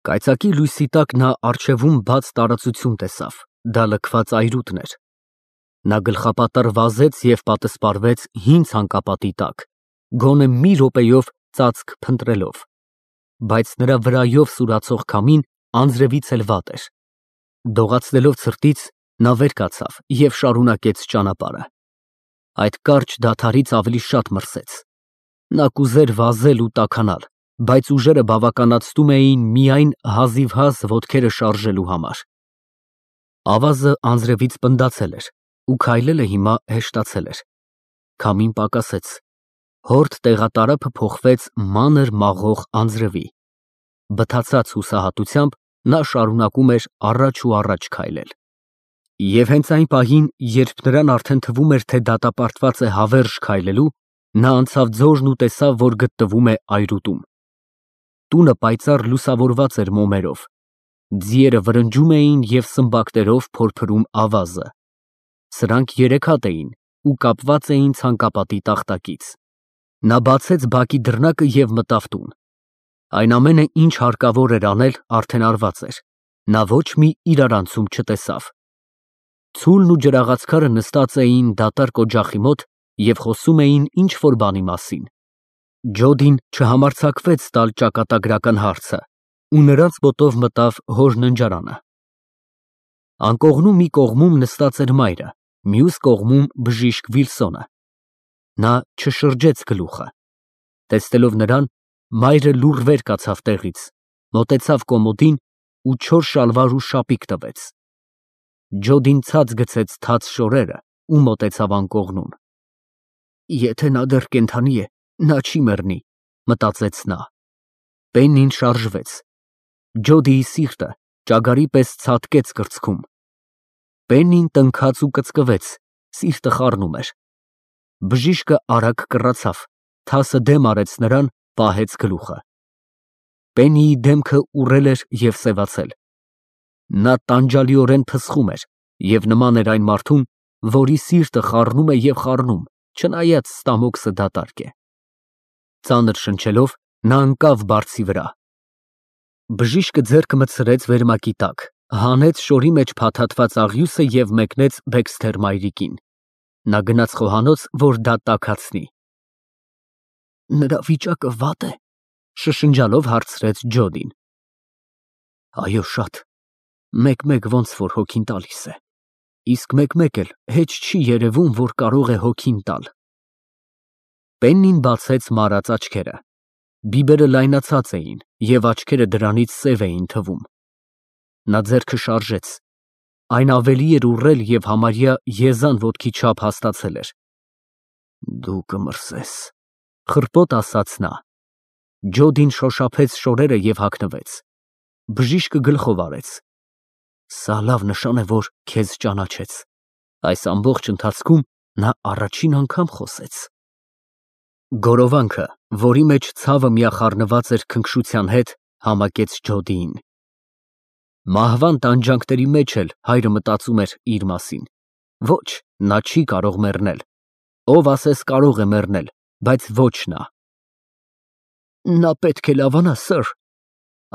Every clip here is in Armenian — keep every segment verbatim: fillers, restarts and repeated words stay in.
Կայծակի լույսի տակ նա առջևում բաց տարածություն տեսավ, դա լքված այրուտն էր։ Նա գլխապատառ վազեց և պատսպարվեց հին ցանկապատի տակ, գոնե մի րոպեով ծածկ փնտրելով, բայց նրա վրայով սուրացող քամին անձրևից էլ վատ էր։ Դողացնելով ցրտից, նա վեր կացավ և շարունակեց ճանապարհը։ Այդ կարճ դադարից ավելի շատ մրսեց։ Նա կուզեր վազել ու տաքանալ, բայց ուժերը բավականացնում էին միայն հազիվհազ ոտքերը շարժելու համար։ Ավազը անձրևից պնդացել էր ու քայլելը հիմա հեշտացել էր։ Քամին պակասեց, հորդ տեղատարափը փոխվեց մանր մաղող անձրևի։ Բթացած հուսահատությամբ նա շարունակում էր առաջ ու առաջ քայլել։ Եվ հենց այն պահին, երբ նրան արդեն թվում էր, թե դատապարտված է հավերժ քայլելու, նա անցավ ձորն ու տեսավ, որ գտնվում է այրուտում։ Տունը պայծառ լուսավորված էր մոմերով, ձիերը վրնջում էին և սմբակներով փորփրում ավազը։ Սրանք երեք հատ էին ու կապված էին ցանկապատի տախտակից։ Նա բացեց բակի դռնակը և մտավ տուն։ Այն ամենը, ինչ հարկավոր էր անել, արդեն արված էր։ Նա ոչ մի իրարանցում չտեսավ։ Ցուլն ու ջրաղացքարը նստած էին դատարկ օջախի մոտ և խոսում էին ինչ֊որ բանի մասին։ Ջոդին չհամարձակվեց տալ ճակատագրական հարցը ու նրանց մոտով մտավ հոր ննջարանը։ Անկողնու մի կողմում նստած էր մայրը, մյուս կողմում բժիշկ Վիլսոնը։ Նա չշրջեց գլուխը։ Տեսնելով նրան, մայրը լուռ վեր կացավ տեղից, մոտեցավ կոմոդին ու չոր շալվար ու շապիկ տվեց։ Ջոդին ցած գցեց թաց շորերը ու մոտեցավ անկողնուն։ Եթե նա դեռ կենդանի է, նա չի մեռնի, մտածեց նա։ Պեննին շարժվեց։ Ջոդիի սիրտը ճագարի պես ցատկեց կրծքում։ Պեննին տնքաց ու կծկվեց, սիրտը խառնում էր։ Բժիշկը արագ կռացավ, թասը դեմ արեց նրան, պահեց գլուխը։ Պեննիի դեմքը ուռել էր և սևացել։ Նա տանջալիորեն փսխում էր և նման էր այն մարդուն, որի սիրտը խառնում է և խառնում, չնայած ստամոքսը դատարկ է։ Ծանր շնչելով, նա ընկավ բարձի վրա։ Բժիշկը ձեռքը մտցրեց վերմակի տակ, հանեց շորի մեջ փաթաթված աղյուսը և մեկնեց Բեքսթեր մայրիկին։ Նա գնաց խոհանոց, որ դա տաքացնի։ Նրա վիճակը վատ է, շշնջալով հարցրեց Ջոդին։ Այո, շատ, մեկ֊մեկ ոնց որ հոգին տալիս է, իսկ մեկ֊մեկ էլ հեչ չի երևում, որ կարող է հոգին տալ։ Պեննին բացեց մարած աչքերը։ Բիբերը լայնացած էին և աչքերը դրանից սև էին թվում։ Նա ձեռքը շարժեց։ Այն ավելի էր ուռել և համարյա եզան ոտքի չափ հաստացել էր։ Դու կմրսես, խռպոտ ասաց նա։ Ջոդին շոշափեց շորերը և հագնվեց։ Բժիշկը գլխով արեց։ Սա լավ նշան է, որ քեզ ճանաչեց։ Այս ամբողջ ընթացքում նա առաջին անգամ խոսեց։ Գորովանքը, որի մեջ ցավը միախառնված էր քնքշության հետ, համակեց Ջոդիին։ Մահվան տանջանքների մեջ էլ հայրը մտածում էր իր մասին։ Ոչ, նա չի կարող մեռնել։ Ով ասես կարող է մեռնել, բայց ոչ նա։ Նա պետք է լավանա, սըր,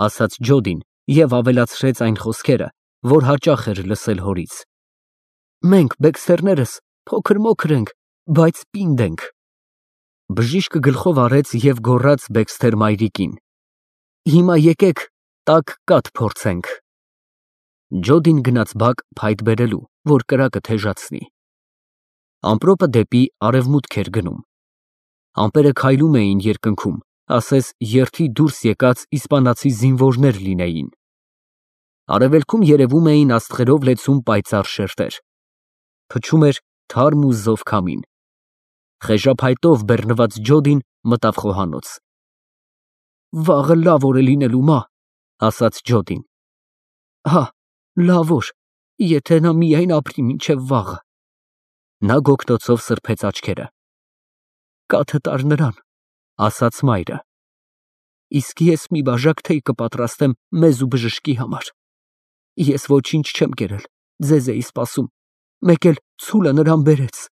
ասաց Ջոդին և ավելացրեց այն խոսքերը, որ հաճախ էր լսել հորից։ Մենք, Բեքսթերներս, փոքր֊մոքր ենք, բայց պինդ ենք։ Բժիշկը գլխով արեց և գոռաց Բեքսթեր մայրիկին. Հիմա եկեք տաք կաթ փորձենք։ Ջոդին գնաց բակ փայտ բերելու, որ կրակը թեժացնի։ Ամպրոպը դեպի արևմուտք էր գնում։ Ամպերը քայլում էին երկնքում, ասես երթի դուրս եկած իսպանացի զինվորներ լինեին։ Արևելքում երևում էին աստղերով լեցուն պայծառ շերտեր։ Փչում էր թարմ ու զով քամին։ Խեժափայտով բեռնված Ջոդին մտավ խոհանոց։ Վաղը լավ օր է լինելու, մա, ասաց Ջոդին։ Հա, լավ օր, եթե նա միայն ապրի մինչև վաղը։ Նա գոգնոցով սրբեց աչքերը։ Կաթը տար նրան, ասաց մայրը։ Իսկ ես մի բաժակ թեյ կպատրաստեմ մեզ ու բժշկի համար։ Ես ոչինչ չեմ կերել, ձեզ էի սպասում, մեկ էլ ցուլը նրան բերեց։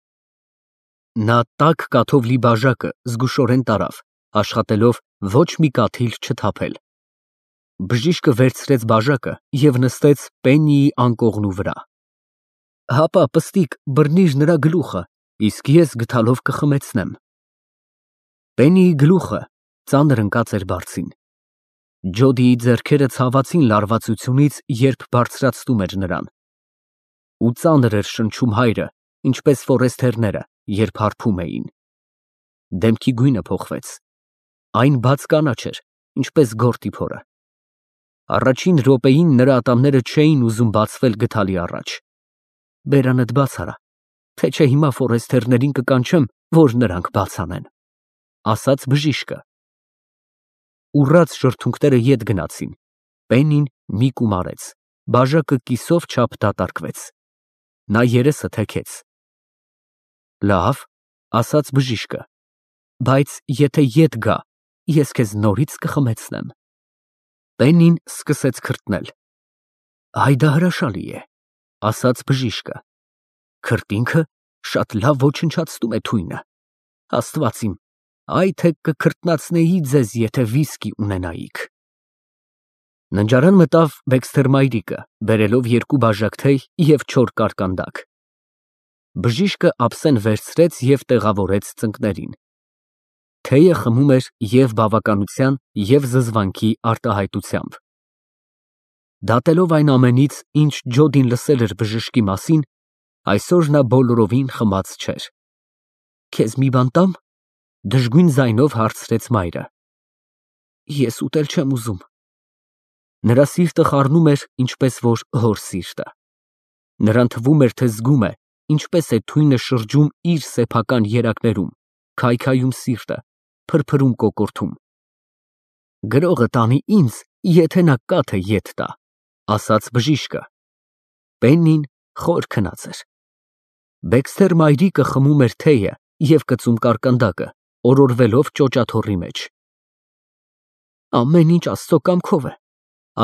Նա տաք կաթով լի բաժակը զգուշորեն տարավ, աշխատելով ոչ մի կաթիլ չթափել։ Բժիշկը վերցրեց բաժակը և նստեց Պեննիի անկողնու վրա։ Հապա, պստիկ, բռնիր նրա գլուխը, իսկ ես գդալով կխմեցնեմ։ Պեննիի գլուխը ծանր ընկած էր բարձին։ Ջոդիի ձեռքերը ցավացին լարվածությունից, երբ բարձրացնում էր նրան։ Ու ծանր էր շնչում հայրը, ինչպես ֆորեստերները, երբ հարբում էին։ Դեմքի գույնը փոխվեց։ Այն բաց կանաչ էր, ինչպես գորտի փորը։ Առաջին րոպեին նրա ատամները չէին ուզում բացվել գդալի առաջ։ Բերանդ բաց արա, թե չէ հիմա ֆորեստերներին կկանչեմ, որ նրանք բաց անեն, ասաց բժիշկը։ Ուռած շրթունքները ետ գնացին։ Պեննին մի կում արեց, բաժակը կիսով չափ դատարկվեց։ Նա երեսը թեքեց։ Լավ, ասաց բժիշկը, բայց եթե ետ գա, ես քեզ նորից կխմեցնեմ։ Պեննին սկսեց քրտնել։ Այ դա հրաշալի է, ասաց բժիշկը։ Քրտինքը շատ լավ ոչնչացնում է թույնը։ Աստված իմ, այ թե կքրտնացնեի ձեզ, եթե վիսկի ունենայիք։ Ննջարան մտավ Բեքսթեր մայրիկը, բերելով երկու բաժակ թեյ և չոր կարկանդակ։ Բժիշկը ափսեն վերցրեց և տեղավորեց ծնկներին։ Թեյը խմում էր և բավականության, և զզվանքի արտահայտությամբ։ Դատելով այն ամենից, ինչ Ջոդին լսել էր բժշկի մասին, այսօր նա բոլորովին խմած չէր։ Քեզ մի բան տա՞մ, դժգույն ձայնով հարցրեց մայրը։ Ես ուտել չեմ ուզում։ Նրա սիրտը խառնում էր, ինչպես որ հոր սիրտը։ Նրան թվում էր, թե զգում է, ինչպես է թույնը շրջում իր սեփական երակներում, քայքայում սիրտը, փրփրում կոկորդում։ Գրողը տանի ինձ, եթե նա կաթը ետ տա, ասաց բժիշկը։ Պեննին խոր քնած էր։ Բեքսթեր մայրիկը խմում էր թեյը և կծում կարկանդակը, օրորվելով ճոճաթոռի մեջ։ Ամեն ինչ Աստծո կամքով է,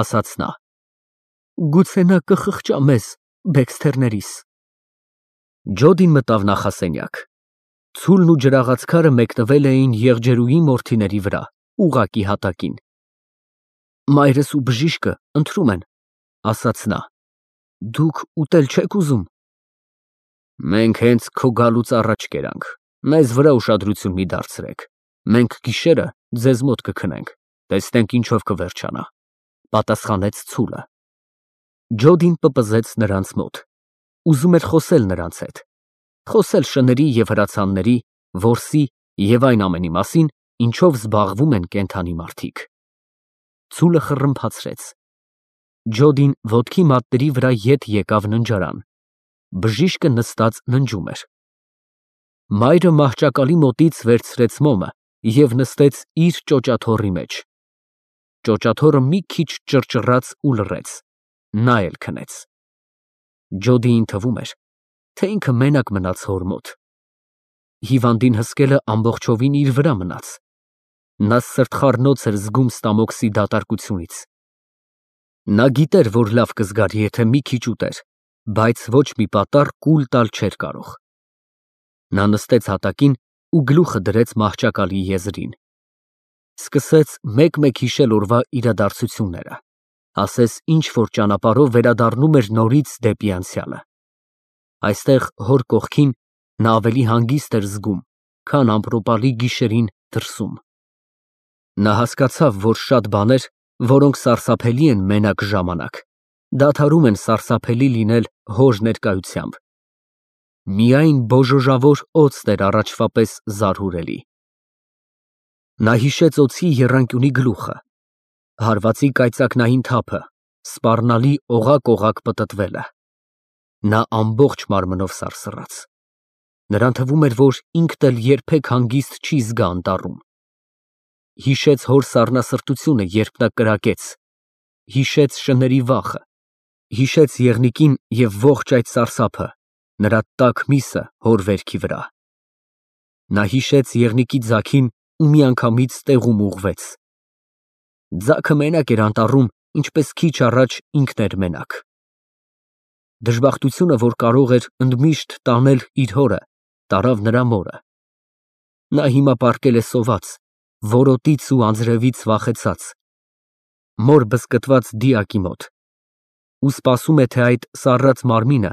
ասաց նա։ Գուցե նա կխղճա մեզ, Բեքսթերներիս։ Ջոդին մտավ նախասենյակ։ Ցուլն ու ջրաղացքարը մեկնվել էին եղջերուի մորթիների վրա, ուղղակի հատակին։ Մայրս ու բժիշկը ընթրում են, ասաց նա։ Դուք ուտել չեք ուզում։ Մենք հենց քո գալուց առաջ կերանք, մեզ վրա ուշադրություն մի դարձրեք։ Մենք գիշերը ձեզ մոտ կքնենք, տեսնենք ինչով կվերջանա, պատասխանեց ցուլը։ Ջոդին պպզեց նրանց մոտ։ Ուզում էր խոսել նրանց հետ, խոսել շների և հրացանների, որսի և այն ամենի մասին, ինչով զբաղվում են կենդանի մարդիկ։ Ցուլը խռմփացրեց։ Ջոդին ոտքի մատների վրա ետ եկավ ննջարան։ Բժիշկը նստած ննջում էր։ Մայրը մահճակալի մոտից վերցրեց մոմը և նստեց իր ճոճաթոռի մեջ։ Ճոճաթոռը մի քիչ ճռճռաց ու լռեց։ Նա էլ քնեց։ Ջոդիին թվում էր, թե ինքը մենակ մնաց հոր մոտ։ Հիվանդին հսկելը ամբողջովին իր վրա մնաց։ Նա սրտխառնոց էր զգում ստամոքսի դատարկությունից։ Նա գիտեր, որ լավ կզգար, եթե մի քիչ ուտեր, բայց ոչ մի պատառ կուլ տալ չէր կարող։ Նա նստեց հատակին ու գլուխը դրեց մահճակալի եզրին։ Սկսեց մեկ֊մեկ հիշել օրվա իրադարձությունները, ասես ինչ-որ ճանապարհով վերադառնում էր նորից դեպի անցյալը։ Այստեղ հոր կողքին նա ավելի հանգիստ էր զգում, քան ամպրոպի գիշերին դրսում։ Նա հասկացավ, որ շատ բաներ, որոնք սարսափելի են մենակ ժամանակ, դադարում են սարսափելի լինել հոր ներկայությամբ։ Միայն բոժոժավոր օձն էր առաջվա պես զարհուրելի։ Նա հիշեց օձի եռանկյունի գլուխը, հարվածի կայծակնային թափը, սպառնալի օղակ-օղակ պտտվելը։ Նա ամբողջ մարմնով սարսռաց։ Նրան թվում էր, որ ինքն էլ երբեք հանգիստ չի զգա անտառում։ Հիշեց հոր սառնասրտությունը, երբ նա կրակեց, հիշեց շների վախը, հիշեց եղնիկին և ողջ այդ սարսափը, նրա տաք միսը հոր վերքի վրա։ Նա հիշեց եղնիկի ձագին ու միանգամից տեղում ուղղվեց։ Ձագը մենակ էր անտառում, ինչպես քիչ առաջ ինքն էր մենակ։ Դժբախտությունը, որ կարող էր ընդմիշտ տանել իր հորը, տարավ նրա մորը։ Նա հիմա պառկել է սոված, որոտից ու անձրևից վախեցած։ մոր բզկտված դիակի մոտ, ու սպասում է, թե այդ սառած մարմինը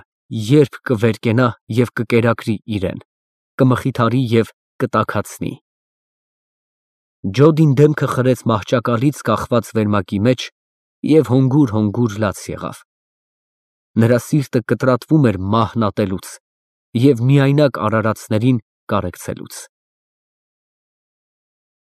երբ կվերկենա և կկերակրի իրան, կմխիթարի և կտաքացնի։ Ջոդին դեմքը խրեց մահճակալից կախված վերմակի մեջ և հոգուր֊հոգուր լաց եղավ։ Նրա սիրտը կտրատվում էր մահն ատելուց և միայնակ արարածներին կարեկցելուց։